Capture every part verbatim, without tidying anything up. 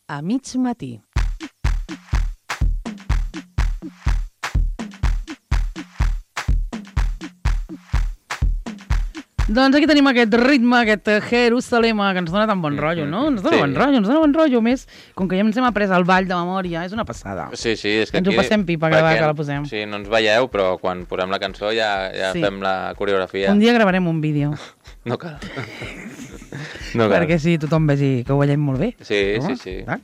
a mig matí. Doncs aquí tenim aquest ritme, aquest Jerusalema, que ens dona tan bon rotllo, no? Ens dona Sí. bon rotllo, ens dona bon rotllo. Més, com que ja ens hem après el ball de memòria, és una passada. Sí, sí, és que Ens ho aquí... passem pipa cada vegada que la posem. Sí, no ens veieu, però quan posem la cançó ja, ja Sí. fem la coreografia. Un dia gravarem un vídeo, No cal. No cal. perquè sí, tothom vegi que ho veiem molt bé. Sí, Home, sí, sí. clar.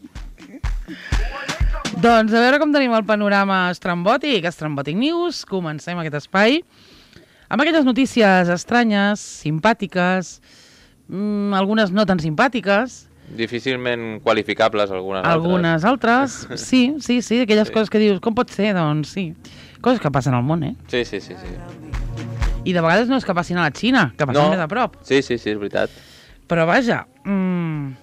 Doncs a veure com tenim el panorama estrambòtic, Estrambòtic News. Comencem aquest espai amb aquelles notícies estranyes, simpàtiques, mmm, algunes no tan simpàtiques, Difícilment qualificables algunes, algunes altres. Sí, sí, sí, aquelles Sí. coses que dius, com pot ser? Doncs sí, coses que passen al món, eh? altres. Sí, sí, sí, sí. I de vegades no és que passin a la Xina, que passen No. més a prop. Sí, sí, sí, és veritat. Però vaja, mmm,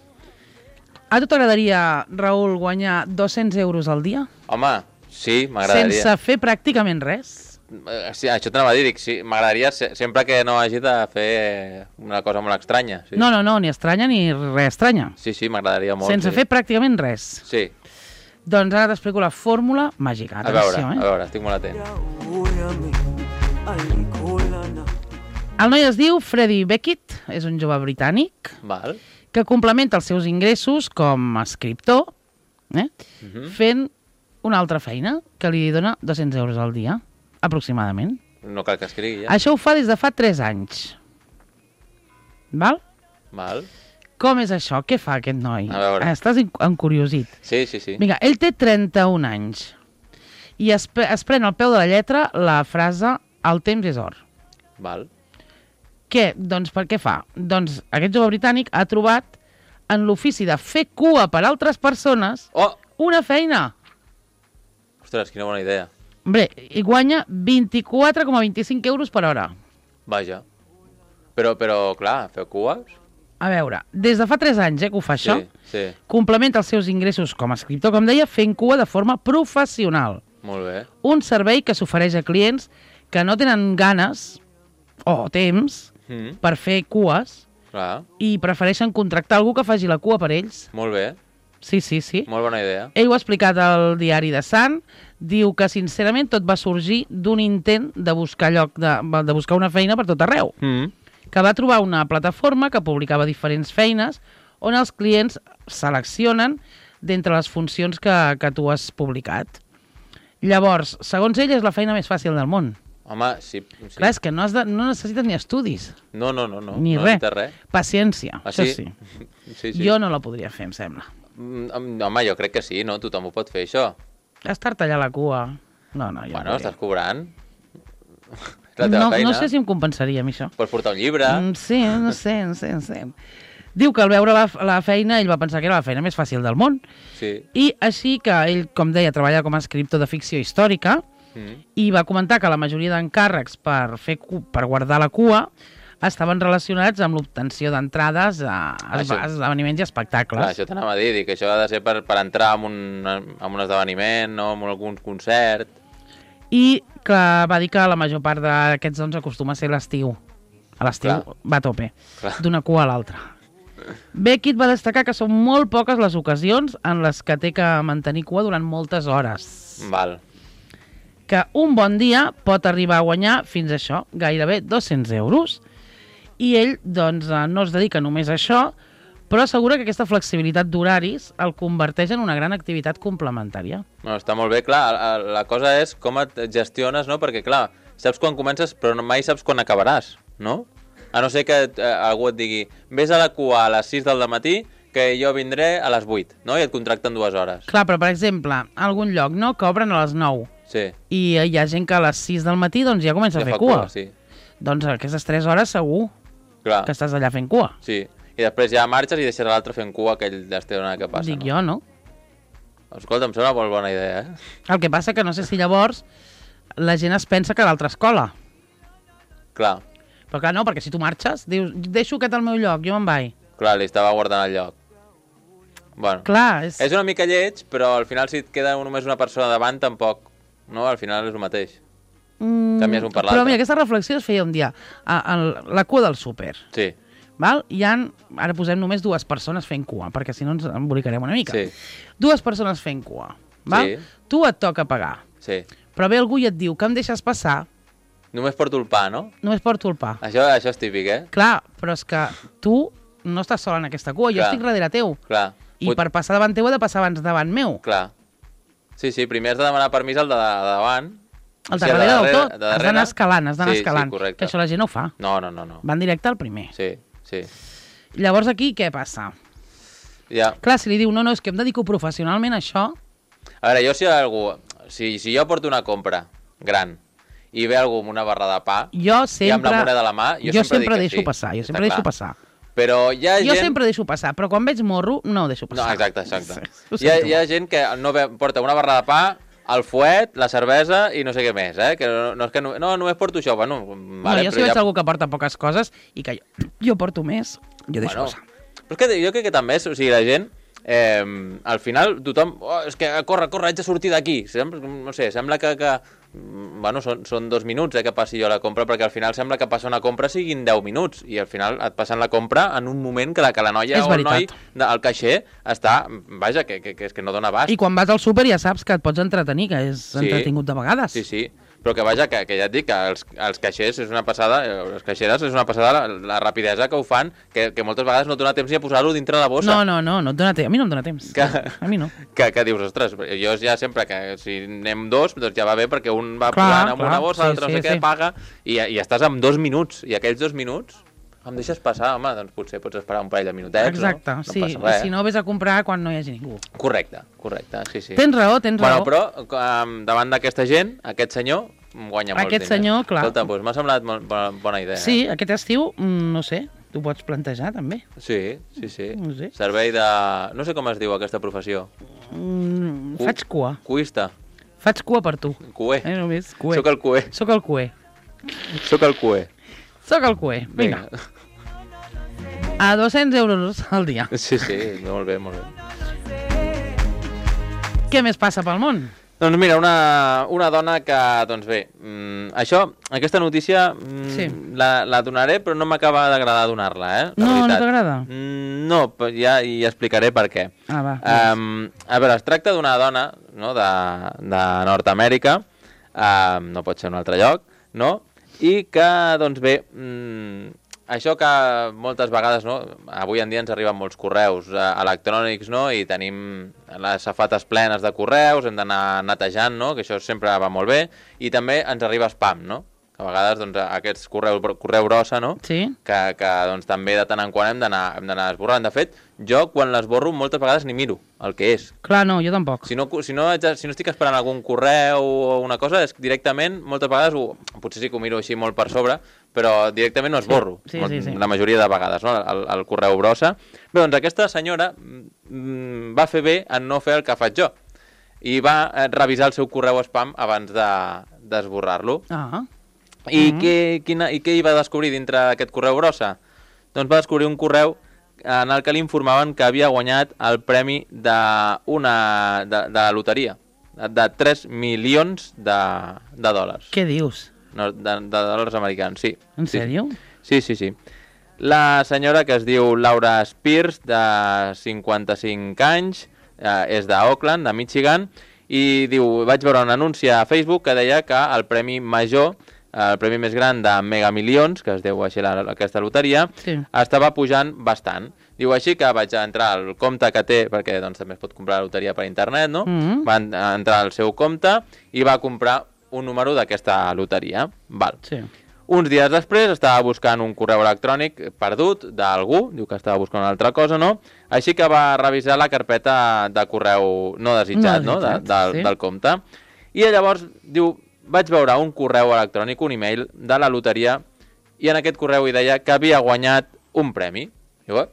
a tu t'agradaria, Raül, guanyar dos-cents euros al dia? Home, sí, m'agradaria. Sense fer pràcticament res? Eh, Sí, això t'anava a dir, dic, sí, m'agradaria se- sempre que no hagi de fer una cosa molt estranya. Sí, No, no, no, ni estranya ni res estranya. sí, sí m'agradaria molt. Sense sí. fer pràcticament res. Sí, Doncs ara t'explico la fórmula màgica. a veure, Atenció, a eh? veure, estic molt atent. El noi es diu Freddie Beckett, és un jove britànic Val. que complementa els seus ingressos com a escriptor eh? Mhm. fent una altra feina que li dona dos-cents euros al dia, aproximadament. No cal que escrigui ja. Això ho fa des de fa tres anys. Val? Val. Com és això? Què fa aquest noi? A veure. Estàs en- encuriosit. Sí, sí, sí. Vinga, ell té trenta-un anys i es, pre- es pren al peu de la lletra la frase "el temps és or". Val. Què? Doncs per què fa? Doncs aquest jove britànic ha trobat en l'ofici de fer cua per altres persones Oh! una feina. Ostres, quina bona idea. Hombre, i guanya vint-i-quatre coma vint-i-cinc euros per hora. Vaja. Però, però, clar, feu cues? A veure, des de fa tres anys eh, que ho fa això, Sí, sí. complementa els seus ingressos com a escriptor, com deia, fent cua de forma professional. Molt bé. Un servei que s'ofereix a clients que no tenen ganes o temps Mm, per fer cues clar, i prefereixen contractar algú que faci la cua per ells. molt bé. Sí, sí, sí. Molt bona idea. Ell ho ha explicat al diari de Sun, diu que sincerament tot va sorgir d'un intent de buscar lloc de, de buscar una feina per tot arreu, Mm. que va trobar una plataforma que publicava diferents feines on els clients seleccionen d'entre les funcions que, que tu has publicat. Llavors, segons ell, és la feina més fàcil del món. Home, sí. sí. Clar, és que no, has de, no necessites ni estudis, No, no, no. no ni no res. necessites res. Paciència, Ah, això sí? sí. Sí, sí. Jo no la podria fer, em sembla. Mm, Home, jo crec que sí, no? Tothom ho pot fer, això. Estar-te allà a la cua... No, no, jo Bueno, no estàs cobrant. És la teva no, feina. no sé si em compensaria a mi això. Pots portar un llibre. Mm, sí, no sé, no sé, no sé. Diu que al veure la, la feina ell va pensar que era la feina més fàcil del món Sí. i així que ell, com deia, treballa com a escriptor de ficció històrica Mm. i va comentar que la majoria d'encàrrecs per, fer cu per guardar la cua estaven relacionats amb l'obtenció d'entrades a, a, Això. a esdeveniments i espectacles. Clar, això t'anava a dir, dir que això ha de ser per, per entrar en un, en un esdeveniment, no? En algun concert. I que va dir que la major part d'aquests doncs acostuma a ser l'estiu. A l'estiu Clar. va a tope, Clar. d'una cua a l'altra. Beckett va destacar que són molt poques les ocasions en les que té que mantenir cua durant moltes hores. Val. Que un bon dia pot arribar a guanyar fins a això, gairebé dos-cents euros. I ell, doncs, eh, no es dedica només a això, però assegura que aquesta flexibilitat d'horaris el converteix en una gran activitat complementària. No, està molt bé, clar, la, la cosa és com et gestiones, no? Perquè, clar, saps quan comences, però no, mai saps quan acabaràs, no? A no ser que eh, algú et digui vés a la cua a les sis del matí que jo vindré a les vuit, no? I et contracten dues hores. Clar, però, per exemple, a algun lloc, no?, que obren a les nou. Sí. I hi ha gent que a les sis del matí doncs, ja comença Ja a fer fa cua. cua, sí. Doncs aquestes tres hores segur Clar, que estàs allà fent cua. sí. I després ja marxes i deixes l'altre fent cua, que ell ja es té una que passa, Dic no? jo, no? Escolta, em sembla molt bona idea, eh? El que passa que no sé si llavors la gent es pensa que a l'altra escola. Clar, Però clar, no, perquè si tu marxes, dius, deixo aquest al meu lloc, jo me'n vaig. clar, li estava guardant el lloc. Bueno, Clar, és... és una mica lleig, però al final si et queda només una persona davant, tampoc, no? Al final és el mateix. Mm, canvies un per Però l'altre. mira, aquesta reflexió es feia un dia a, a la cua del súper. Sí. val? Hi ha, ara posem només dues persones fent cua, perquè si no ens embolicarem una mica. Sí. Dues persones fent cua, val? Sí. Tu et toca pagar, Sí. però ve algú i et diu que em deixes passar, Només porto el pa, no? només porto el pa. Això, això és típic, eh? Clar, però és que tu no estàs sol en aquesta cua, jo Clar. estic darrere teu. Clar. I Pot- per passar davant teu he de passar abans davant meu. Clar. Sí, sí, primer has de demanar permís al de, de davant. El O de sigui, darrere del de tot, de has darrere. d'anar escalant, has d'anar Sí, sí, escalant. correcte. Que això la gent no ho fa. No, no, no, no. Van directe al primer. Sí, sí. Llavors aquí què passa? Ja. Clar, si li diu, no, no, és que em dedico professionalment a això, A veure, jo si algú... Si, si jo porto una compra gran i ve algú amb una barra de pa jo i amb sempre... la moneda a la mà, jo, jo sempre, sempre dic que deixo sí. passar, jo Està sempre deixo clar. passar. Però hi ha Jo gent... sempre deixo passar, però quan veig morro, no ho deixo No, passar. exacte, exacte. Ho Hi ha, sento. hi ha gent que no ve, porta una barra de pa, el fuet, la cervesa i no sé què més, eh? Que no, no és que no, no només porto això, bueno... No, Vale, jo si però veig ja... algú que porta poques coses i que jo, jo porto més, jo deixo Bueno, passar. però és que jo crec que també és, o sigui, la gent, eh, al final tothom, oh, és que corre, corre, haig de sortir d'aquí. Sembla, no sé, sembla que, que bueno, són, són dos minuts eh, que passi jo la compra, perquè al final sembla que passar una compra siguin deu minuts, i al final et passen la compra en un moment que la, que la noia És o el noi, veritat. el caixer, està, vaja, que, que, que, és que no dona abast. I quan vas al súper ja saps que et pots entretenir, que és Sí. entretingut de vegades. Sí, sí, però que vaja, que, que ja et dic que els, els caixers és una passada, eh, les caixeres és una passada la, la rapidesa que ho fan, que, que moltes vegades no et dona temps ni a posar-ho dintre la bossa. No, no, no, no et dona temps. A mi no em dona temps. Que- A mi no. Que, que dius, ostres, jo ja sempre que si anem dos, doncs ja va bé perquè un va Clar, posant amb clar, una bossa, sí, l'altre no sé sí, què, sí. paga, i, i estàs amb dos minuts, i aquells dos minuts em deixes passar, home, doncs potser pots esperar un parell de minutets, Exacte, no? No sí. passa res. Si no, vés a comprar quan no hi hagi ningú. Correcte, correcte, sí, sí. Tens raó, tens Bueno, raó. però um, davant d'aquesta gent, aquest senyor guanya molts Aquest diners. senyor, clar. Escolta, doncs m'ha semblat molt bona, bona idea. Sí, Eh? aquest estiu, mm, no sé, t'ho pots plantejar també. Sí, sí, sí. No sé. Servei de... No sé com es diu aquesta professió. Mm, Cu- faig cua. Cuista. Faig cua per tu. Cué. Eh, només, cué. Soc el cué. Soc el cué. Soc el cué. Soc el cué. Vinga. A dos-cents euros al dia. Sí, sí, molt bé, molt bé. Què més passa pel món? Doncs mira, una, una dona que, doncs bé, mm, això, aquesta notícia mm, Sí. la, la donaré, però no m'acaba d'agradar donar-la, eh? La No, no veritat. t'agrada? Mm, no, però ja hi explicaré per què. Ah, va. Um, a veure, es tracta d'una dona no, de, de Nord-Amèrica, um, no pot ser un altre lloc, no? I que, doncs bé, mm, això que moltes vegades, no, avui en dia ens arriben molts correus eh, electrònics, no, i tenim les safates plenes de correus, hem d'anar netejant, no, que això sempre va molt bé, i també ens arriba spam, no? Que a vegades doncs, aquests correus, correu brossa, no? Sí? Que, que doncs, també de tant en quant hem d'anar hem d'anar esborrant. De fet, jo quan l'esborro moltes vegades ni miro el que és. Clar, no, jo tampoc. Si no, si no, haig de- si no estic esperant algun correu o una cosa, és que directament, moltes vegades, ho, potser sí que ho miro així molt per sobre, però directament no esborro, Sí, sí, sí. la majoria de vegades, no? el, el correu brossa. Bé, doncs aquesta senyora mm, va fer bé en no fer el que faig jo, i va eh, revisar el seu correu spam abans de- d'esborrar-lo. Ah, I, mm. què, quina, I què hi va descobrir dintre d'aquest correu brossa? Doncs va descobrir un correu en el que li informaven que havia guanyat el premi de, una, de, de la loteria, de tres milions de, de dòlars. què dius? No, de, de dòlars americans, sí. En sí, sèrio? Sí, sí, sí. La senyora, que es diu Laura Spears, de cinquanta-cinc anys, eh, és d'Oakland, de Michigan, i diu, vaig veure un anunci a Facebook que deia que el premi major, el premi més gran de Mega Milions, que es deu així la, aquesta loteria, Sí. estava pujant bastant. Diu així que vaig entrar al compte que té, perquè doncs, també es pot comprar la loteria per internet, no? Mhm. Va en- entrar al seu compte i va comprar un número d'aquesta loteria. Val. Sí. Uns dies després estava buscant un correu electrònic perdut d'algú, diu que estava buscant una altra cosa, no? Així que va revisar la carpeta de correu no desitjat, no? No De, desitjat, del, sí. del compte. I llavors, diu, vaig veure un correu electrònic, un email de la loteria, i en aquest correu hi deia que havia guanyat un premi. Diu, eh?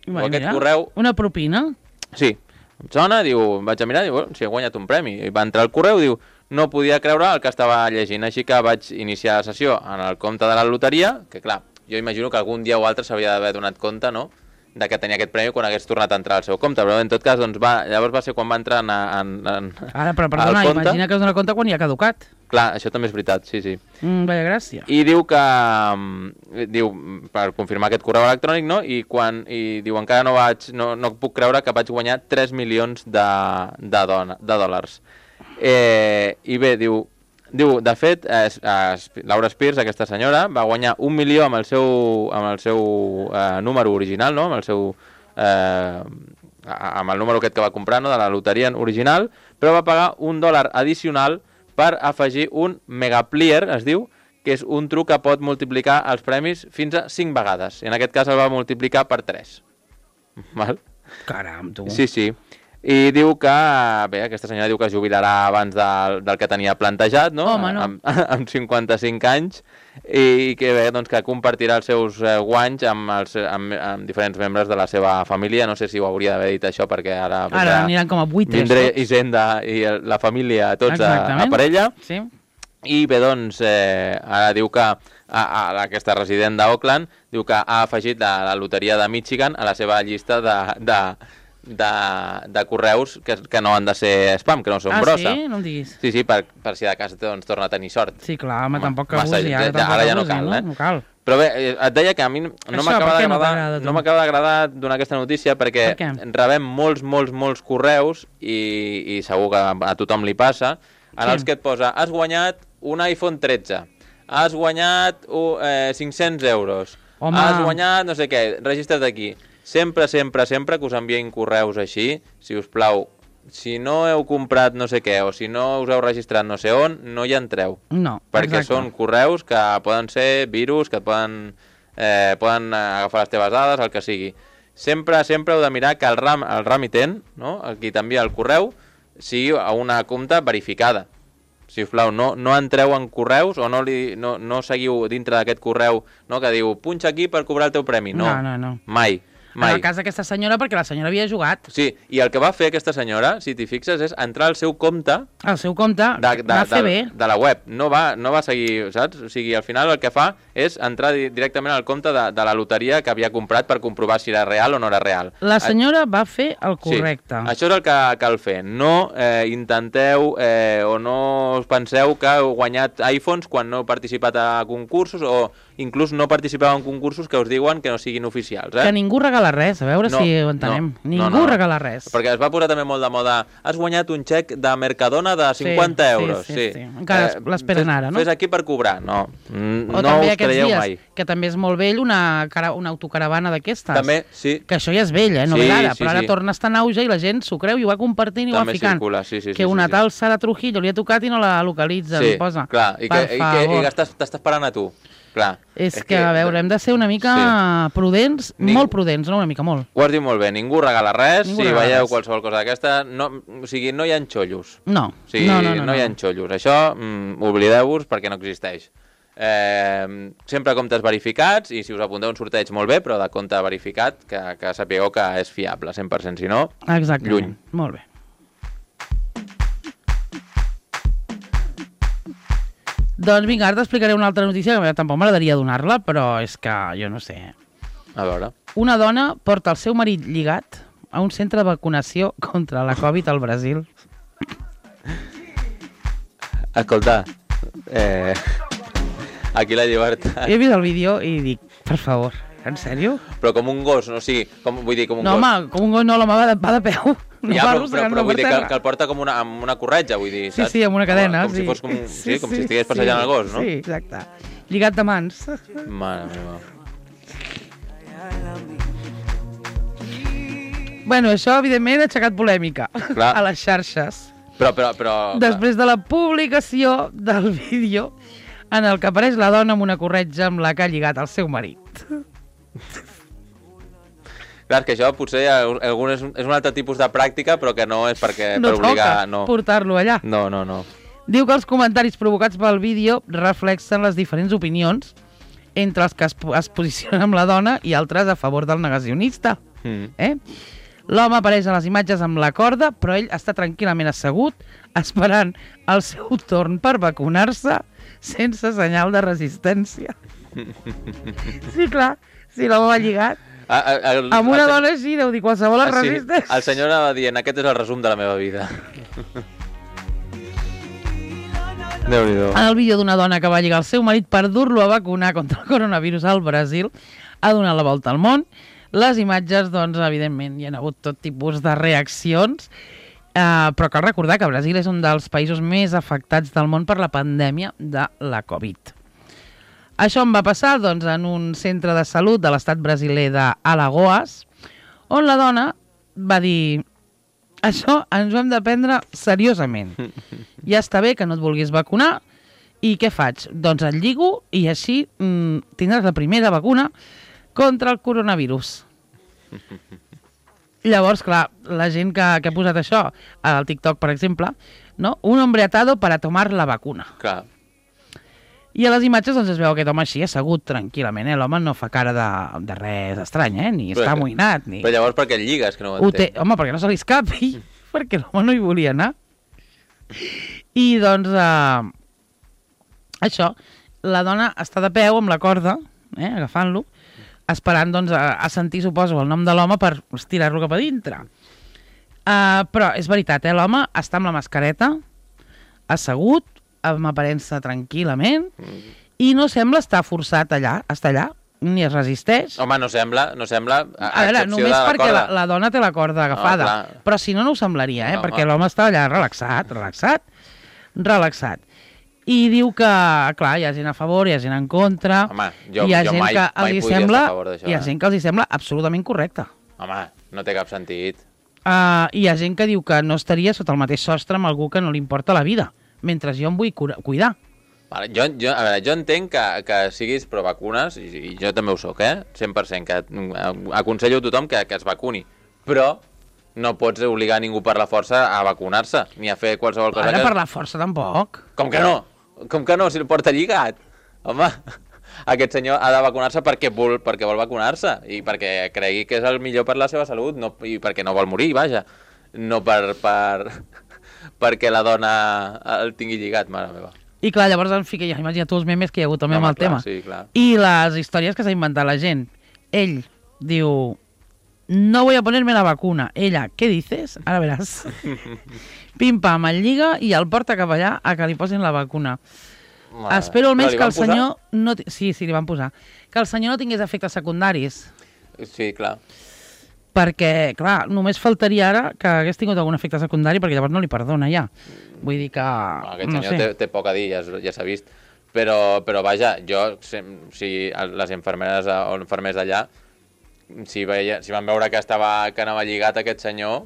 Bueno, aquest mira, correu... una propina? Sí, em sona, diu, vaig a mirar, diu, bueno, si he guanyat un premi. I va entrar al correu, diu, no podia creure el que estava llegint, així que vaig iniciar la sessió en el compte de la loteria, que clar, jo imagino que algun dia o altre s'havia d'haver donat compte, no?, de que tenia aquest premi quan hagués tornat a entrar al seu compte, però en tot cas, doncs, va, llavors va ser quan va entrar en, en, en, Ara, però al perdona, compte. imagina que es dona compte quan ja ha caducat. Clar, això també és veritat, sí, sí. Mm, vaya gràcia. I diu que... Diu, per confirmar aquest correu electrònic, no? I, quan, i diu, encara no vaig... No, no puc creure que vaig guanyar tres milions de, de, dona, de dòlars. Eh, I bé, diu... Diu, de fet, eh, eh, Laura Spears, aquesta senyora, va guanyar un milió amb el seu, amb el seu eh, número original, no? Amb el seu... Eh, amb el número aquest que va comprar, no? De la loteria original, però va pagar un dòlar addicional per afegir un megaplier, es diu, que és un truc que pot multiplicar els premis fins a cinc vegades. I en aquest cas el va multiplicar per tres. Val? Caram, tu. Sí, sí. I diu que, bé, aquesta senyora diu que es jubilarà abans del, del que tenia plantejat, no? Home, no. Amb, amb cinquanta-cinc anys, i que, bé, doncs, que compartirà els seus eh, guanys amb, els, amb, amb diferents membres de la seva família. No sé si ho hauria d'haver dit això, perquè ara... Ara aniran com a buitres vindré tots. Hisenda i la família, tots a, a parella. Sí. I bé, doncs, eh, ara diu que a, a, aquesta resident d'Oakland diu que ha afegit la, la loteria de Michigan a la seva llista de... de De, de correus que, que no han de ser spam, que no són ah, brossa. Ah, sí? No em diguis. Sí, sí, per, per si de cas doncs, torna a tenir sort. Sí, clar, home, home tampoc que massa, abusi. Ara, ja, ara ja no abusi, cal, no? eh? No cal. Però bé, et deia que a mi no m'acaba d'agradar no m'acaba d'agradar donar aquesta notícia perquè per rebem molts, molts, molts correus i, i segur que a tothom li passa, en sí. els que et posa has guanyat un iPhone tretze, has guanyat uh, eh, cinc-cents euros, home. Has guanyat no sé què, registra't aquí. Sempre, sempre, sempre que us envien correus així, si us plau, si no heu comprat no sé què o si no us heu registrat no sé on, no hi entreu. No, perquè exacte. Són correus que poden ser virus, que et poden, eh, poden agafar les teves dades, el que sigui. Sempre, sempre heu de mirar que el, ram, el remitent, no? El qui t'envia el correu, sigui a una compte verificada. Si us plau, no, no entreu en correus o no, li, no, no seguiu dintre d'aquest correu, no, que diu punxa aquí per cobrar el teu premi. No, no, no, no. Mai. Mai. En el cas d'aquesta senyora, perquè la senyora havia jugat. Sí, i el que va fer aquesta senyora, si t'hi fixes, és entrar al seu compte... Al seu compte, de, de, va fer de, bé. De la web. No va, no va seguir, saps? O sigui, al final el que fa és entrar directament al compte de, de la loteria que havia comprat per comprovar si era real o no era real. La senyora va fer el correcte. Sí, això és el que cal fer. No eh, intenteu eh, o no us penseu que heu guanyat iPhones quan no heu participat a concursos o inclús no participeu en concursos que us diuen que no siguin oficials. Eh? Que ningú regala res, a veure no, si ho entenem. No, ningú no, no. regala res. Perquè es va posar també molt de moda, has guanyat un xec de Mercadona de cinquanta sí, euros. Sí, sí, sí. sí. Encara eh, l'esperen ara, no? Fes aquí per cobrar, no. O no us creieu dies, mai. Que també és molt vell una, cara, una autocaravana d'aquestes. També, sí. Que això ja és vell, eh? No sí, ve ara, sí, però ara sí. torna a estar en auge i la gent s'ho creu i ho va compartint i també ho va ficant. Circula, sí, sí, que sí, una sí, tal sí. Sara Trujillo li ha tocat i no la localitza, sí, li posa. Clar, i que, i que, i que t'està esperant a tu. Clar. És, és que, que, a veure, hem de ser una mica sí. prudents, Ning... molt prudents, no una mica, molt. Ho has dit molt bé, ningú regala res, ningú si regala veieu res. Qualsevol cosa d'aquesta, no, o sigui, no hi ha xollos. No, o sigui, no, no, no, no hi ha no. xollos. Això, mm, oblideu-vos perquè no existeix. Eh, sempre comptes verificats i si us apunteu un sorteig molt bé, però de compte verificat, que, que sapigueu que és fiable, cent per cent, si no, exactament. Lluny. Molt bé. Doncs vinga, ara t'explicaré una altra notícia que tampoc m'agradaria donar-la, però és que jo no sé. A veure. Una dona porta el seu marit lligat a un centre de vacunació contra la Covid al Brasil. Escolta, eh, aquí la llibertat... He vist el vídeo i dic, per favor, en sèrio? Però com un gos, no? O sigui, com, vull dir, com un no, gos. No, home, com un gos no, la mà va de, va de peu. No ja, però, però, però vull dir que, que el porta com una, amb una corretja, vull dir, saps? Sí, sí, amb una cadena. Com, com sí. si fos com, sí, sí, com sí, si estigués passejant sí, el gos, no? Sí, exacte. Lligat de mans. Mare meva. Bueno, això, evidentment, ha aixecat polèmica Clar. a les xarxes. Però, però, però... Després de la publicació del vídeo en el que apareix la dona amb una corretja amb la que ha lligat el seu marit. Clar, que això potser algun és, és un altre tipus de pràctica, però que no és perquè no per obligar... No toca portar-lo allà. No, no, no. Diu que els comentaris provocats pel vídeo reflexen les diferents opinions entre els que es, es posicionen amb la dona i altres a favor del negacionista. Mm. Eh? L'home apareix a les imatges amb la corda, però ell està tranquil·lament assegut, esperant el seu torn per vacunar-se sense senyal de resistència. Sí, clar, si l'home va lligat. A, a, el, amb una el, dona així, deu dir qualsevol es resisteix. Sí, el senyor anava dient, aquest és el resum de la meva vida. Déu-n'hi-do. En el vídeo d'una dona que va lligar el seu marit per dur-lo a vacunar contra el coronavirus al Brasil, ha donat la volta al món. Les imatges, doncs, evidentment, hi ha hagut tot tipus de reaccions, eh, però cal recordar que Brasil és un dels països més afectats del món per la pandèmia de la Covid. Això em va passar doncs, en un centre de salut de l'estat brasiler d'Alagoas, on la dona va dir: això ens ho hem de prendre seriosament. Ja està bé que no et vulguis vacunar, i què faig? Doncs et lligo i així mm, tindràs la primera vacuna contra el coronavirus. Llavors, clar, la gent que, que ha posat això al TikTok, per exemple, no? Un hombre atado para tomar la vacuna. Clar. I a les imatges doncs, es veu aquest home així assegut tranquil·lament, eh? L'home no fa cara de, de res estrany, eh? Ni però està que... amoïnat, ni... Però llavors per què el lligues, que no ho ho entenc? té... Home, perquè no se li escapi, perquè l'home no hi volia anar. I doncs, eh... això, la dona està de peu amb la corda, eh? Agafant-lo, esperant doncs, a, a sentir, suposo, el nom de l'home per estirar-lo cap a dintre. Uh, però és veritat, eh? L'home està amb la mascareta, assegut, amb aparença tranquil·lament, mm. i no sembla estar forçat allà, està allà, ni es resisteix. Home, no sembla, no sembla, a, a veure, només la perquè corda. la, la dona té la corda agafada, oh, però si no, no ho semblaria, eh? No, perquè home. l'home està allà relaxat, relaxat, relaxat. I diu que, clar, hi ha gent a favor, hi ha gent en contra, home, jo, hi ha jo gent mai, que mai els hi podria sembla, estar a favor d'això. hi ha eh? gent que els hi sembla absolutament correcte. Home, no té cap sentit. Uh, hi ha gent que diu que no estaria sota el mateix sostre amb algú que no li importa la vida, mentre jo em vull cura, cuidar. Vale, jo, jo, a veure, jo entenc que, que siguis pro vacunes, i, i jo també ho soc, eh? cent per cent, que aconsello a tothom que, que es vacuni, però no pots obligar ningú per la força a vacunar-se, ni a fer qualsevol cosa. Ara que... per la força tampoc. Com que no? Com que no, si el porta lligat? Home, aquest senyor ha de vacunar-se perquè vol, perquè vol vacunar-se, i perquè cregui que és el millor per la seva salut, no, i perquè no vol morir, vaja, no per, per, perquè la dona el tingui lligat, mare meva. I clar, llavors en fi, que ja imagina tu els memes que hi ha hagut també no, amb el clar, tema. Sí, clar. I les històries que s'ha inventat la gent. Ell diu, no voy a ponerme la vacuna. Ella, ¿qué dices? Ara veràs. Pim-pam, el lliga i el porta cap allà a que li posin la vacuna. Mare. Espero almenys que el posar? senyor... No t... Sí, sí, li van posar. Que el senyor no tingués efectes secundaris. Sí, clar. Perquè, clar, només faltaria ara que hagués tingut algun efecte secundari, perquè llavors no li perdona ja. Vull dir que... No, aquest no senyor sé. té, té poc a dir, ja, ja s'ha vist. Però, però vaja, jo, si, si les infermeres o infermers d'allà, si, veia, si van veure que, estava, que anava lligat aquest senyor,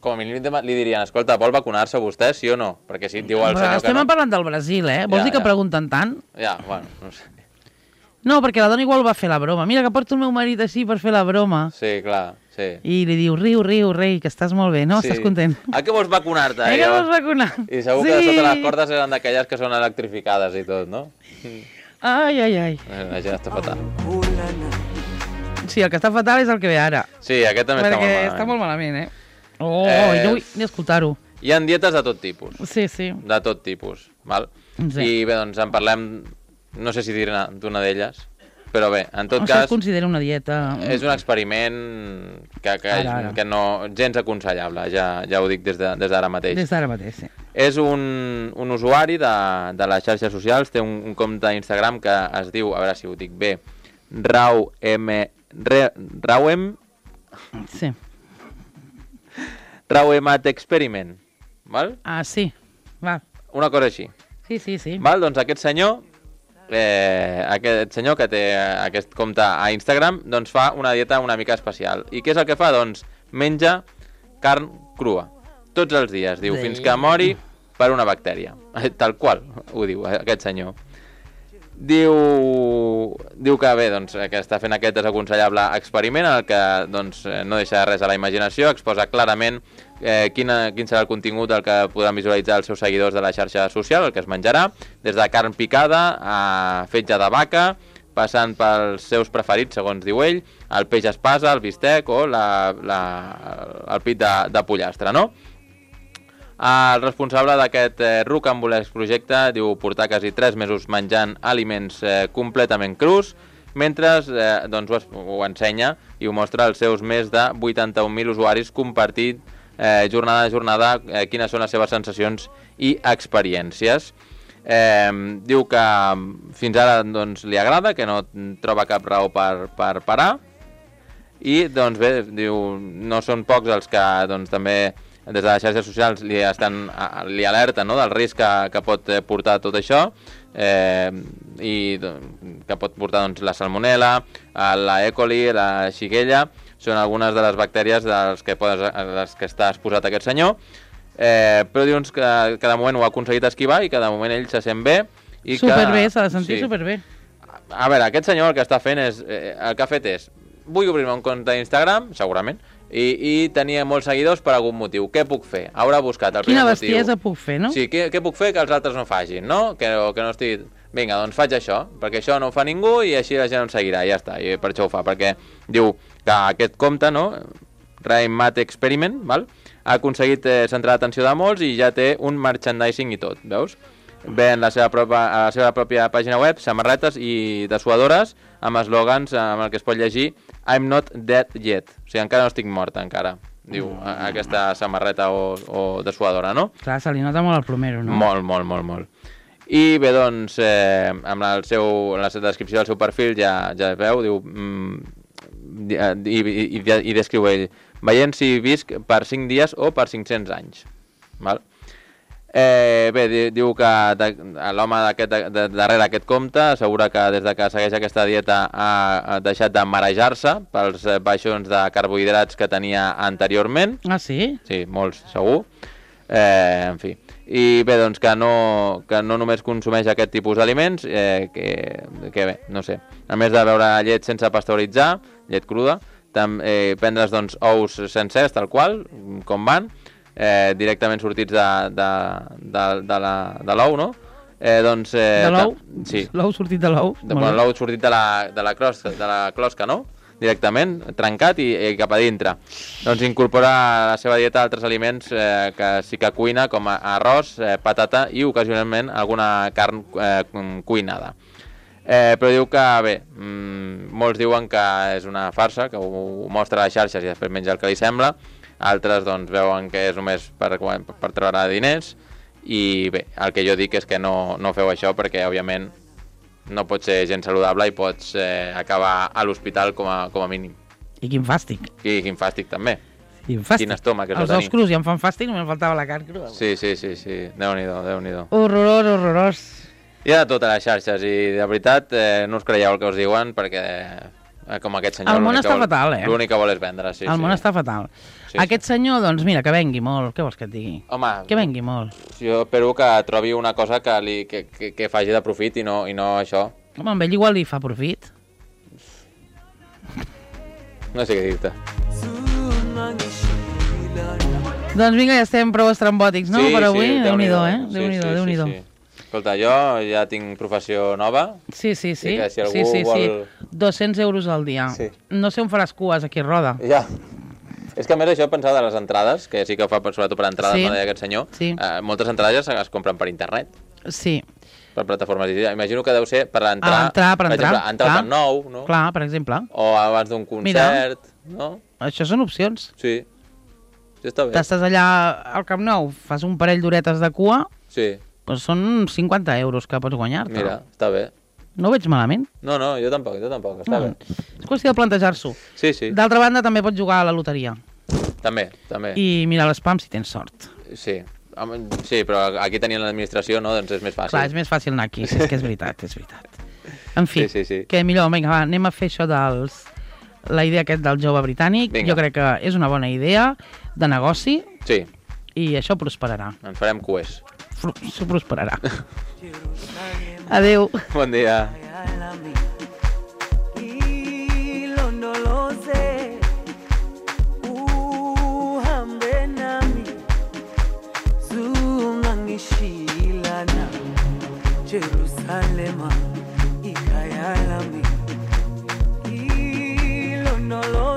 com a mínim li dirien, escolta, vol vacunar-se vostè, sí o no? Perquè si diu el Però senyor estem que no... parlant del Brasil, eh? Vols Ja, dir que ja. pregunten tant? Ja, bueno, no sé. No, perquè la dona igual va fer la broma. Mira que porto el meu marit així per fer la broma. Sí, clar, sí. I li diu, riu, riu, rei, que estàs molt bé, no? Sí. Estàs content? A què vols vacunar-te? Eh, que vols vacunar? I segur sí. que sota les cordes eren d'aquelles que són electrificades i tot, no? Ai, ai, ai. La gent està fatal. Sí, el que està fatal és el que ve ara. Sí, aquest també perquè està molt malament. està molt malament, eh? Oh, Eh, jo vull ni escoltar-ho. Hi ha dietes de tot tipus. Sí, sí. De tot tipus, val? Sí. I bé, doncs en parlem, no sé si dir-ne d'una d'elles, però bé, en tot Això cas... es considera una dieta... És un experiment que, que, Ara, ara. que no... gens aconsellable, ja, ja ho dic des d'ara de, des mateix. Des d'ara mateix, sí. És un, un usuari de, de les xarxes socials, té un, un compte d'Instagram que es diu, a veure si ho dic bé, Rau M... Re, Rauem... Sí. Rauemat Experiment, val? Ah, sí. Va. Una cosa així. Sí, sí, sí. Val? Doncs aquest senyor, eh, aquest senyor que té aquest compte a Instagram, doncs fa una dieta una mica especial. I què és el que fa? Doncs menja carn crua. Tots els dies, diu, Sí. fins que mori per una bactèria. Tal qual, ho diu aquest senyor. Diu, diu que bé, doncs, que està fent aquest desaconsellable experiment en el que doncs, no deixa res a la imaginació, exposa clarament eh, quina, quin serà el contingut del que podran visualitzar els seus seguidors de la xarxa social, el que es menjarà, des de carn picada a fetge de vaca, passant pels seus preferits, segons diu ell, el peix espasa, el bistec o la, la, el pit de, de pollastre, no? El responsable d'aquest eh, rocambolesc projecte diu portar quasi tres mesos menjant aliments eh, completament crus, mentre eh, doncs ho, es, ho ensenya i ho mostra als seus més de vuitanta-un mil usuaris compartit eh, jornada a jornada eh, quines són les seves sensacions i experiències. Eh, diu que fins ara doncs, li agrada, que no troba cap raó per, per parar, i doncs bé, diu, no són pocs els que doncs, també des de les xarxes socials li, estan, li alerten, no?, del risc que, que pot portar tot això, eh, i que pot portar doncs, la salmonella, la E. coli, la xiguella, són algunes de les bactèries dels que, podes, les que està exposat aquest senyor, eh, però dius que, que de moment ho ha aconseguit esquivar i que de moment ell se sent bé. I superbé, s'ha de sentir sí. superbé. A veure, aquest senyor el que està fent és, eh, el que ha fet és, vull obrir-me un compte d'Instagram, segurament, i, i tenia molts seguidors per algun motiu. Què puc fer? Haurà buscat el Quina primer motiu. bestiesa puc fer, no? Sí, què, què puc fer que els altres no facin, no? Que, que no estigui... Vinga, doncs faig això, perquè això no ho fa ningú i així la gent em seguirà, i ja està, i per això ho fa, perquè diu que aquest compte, no?, Rain Mat Experiment, val? Ha aconseguit eh, centrar l'atenció de molts i ja té un merchandising i tot, veus? Ven la seva pròpia, a la seva pròpia pàgina web, samarretes i dessuadores amb eslògans amb el que es pot llegir I'm not dead yet, o sigui, encara no estic morta, encara, diu mm. aquesta samarreta o, o dessuadora, no? Clar, se li nota molt el plomero, no? Molt, molt, molt, molt. I bé, doncs, eh, amb el seu, la descripció del seu perfil ja, ja es veu, diu, mm, i, i, i, i descriu ell, veient si visc per cinc dies o per cinc-cents anys, val? Eh, bé, diu que l'home darrere aquest compte assegura que des de que segueix aquesta dieta ha deixat de marejar-se pels baixons de carbohidrats que tenia anteriorment. Ah, sí? Sí, molts, segur. Eh, en fi. I bé, doncs que no, que no només consumeix aquest tipus d'aliments, eh, que, que bé, no sé. A més de beure llet sense pasteuritzar, llet cruda, tam, eh, prendre's doncs ous sencers, tal qual, com van, Eh, directament sortits de, de, de, de, la, de l'ou, no? Eh, doncs, eh, de l'ou? Sí. L'ou sortit de l'ou? Bueno, l'ou sortit de la, de, la closca, de la closca, no? Directament, trencat i, i cap a dintre. Doncs incorpora a la seva dieta altres aliments eh, que sí que cuina, com arròs, eh, patata i ocasionalment alguna carn eh, cuinada. Eh, però diu que, bé, mmm, molts diuen que és una farsa, que ho, ho mostra a les xarxes i després menja el que li sembla. Altres doncs, veuen que és només per, per treure diners i bé, el que jo dic és que no, no feu això perquè òbviament no pots ser gent saludable i pots eh, acabar a l'hospital com, a, com a mínim. I quin fàstic. I quin fàstic també. Quin fàstic. Quin estómac és els ous crus ja em fan fàstic, només faltava la carn cruda. Sí, sí, sí, sí. Déu-n'hi-do, Déu-n'hi-do. Horrorós, horrorós. Hi ha de tot a les xarxes i de veritat eh, no us creieu el que us diuen perquè eh, com aquest senyor... El món està vol, fatal, eh? L'únic que vol és vendre, sí. El sí. món està fatal. Sí, aquest sí. senyor, doncs mira, que vengui molt. Què vols que et digui? Home... Que vengui molt. Jo espero que trobi una cosa que, li, que, que, que faci de profit i no, i no això. Home, amb ell igual li fa profit. No sé què dir-te. Doncs vinga, ja estem prou estrambòtics, no? Sí, per avui, sí, Déu-n'hi-do, eh? Sí, Déu-n'hi-do, sí, Déu-n'hi-do. Sí, sí. Escolta, jo ja tinc professió nova. Sí, sí, sí. Que si algú sí, sí, vol... sí. dos-cents euros al dia. Sí. No sé on faràs cues aquí a Roda. Ja. És que a més això pensava de les entrades, que sí que ho fa sobretot per entrades, sí. no deia aquest senyor. Sí. Eh, moltes entrades es compren per internet. Sí. Per plataformes digitals. Imagino que deu ser per entrar... A entrar, per, per entrar. exemple, entrar al Camp Nou, no? Clar, per exemple. O abans d'un concert, Mira, no? Això són opcions. Sí. Sí, està bé. T'estàs allà al Camp Nou, fas un parell d'horetes de cua... Sí. Doncs són cinquanta euros que pots guanyar-te. Mira, està bé. No ho veig malament. No, no, jo tampoc, jo tampoc, està no. bé. És qüestió de plantejar-s'ho. Sí, sí. D'altra banda, també pots jugar a la loteria. També, també. I mirar l'espam si tens sort. Sí, sí, però aquí tenint l'administració, no, doncs és més fàcil. Clar, és més fàcil anar aquí, sí, és que és veritat, és veritat. En fi, sí, sí, sí. que millor, vinga, va, anem a fer això dels... la idea aquest del jove britànic. Vinga. Jo crec que és una bona idea de negoci. Sí. I això prosperarà. Ens farem cues. Això prosperarà. Adéu. Bon dia. Jerusalema ikayalami ilondolo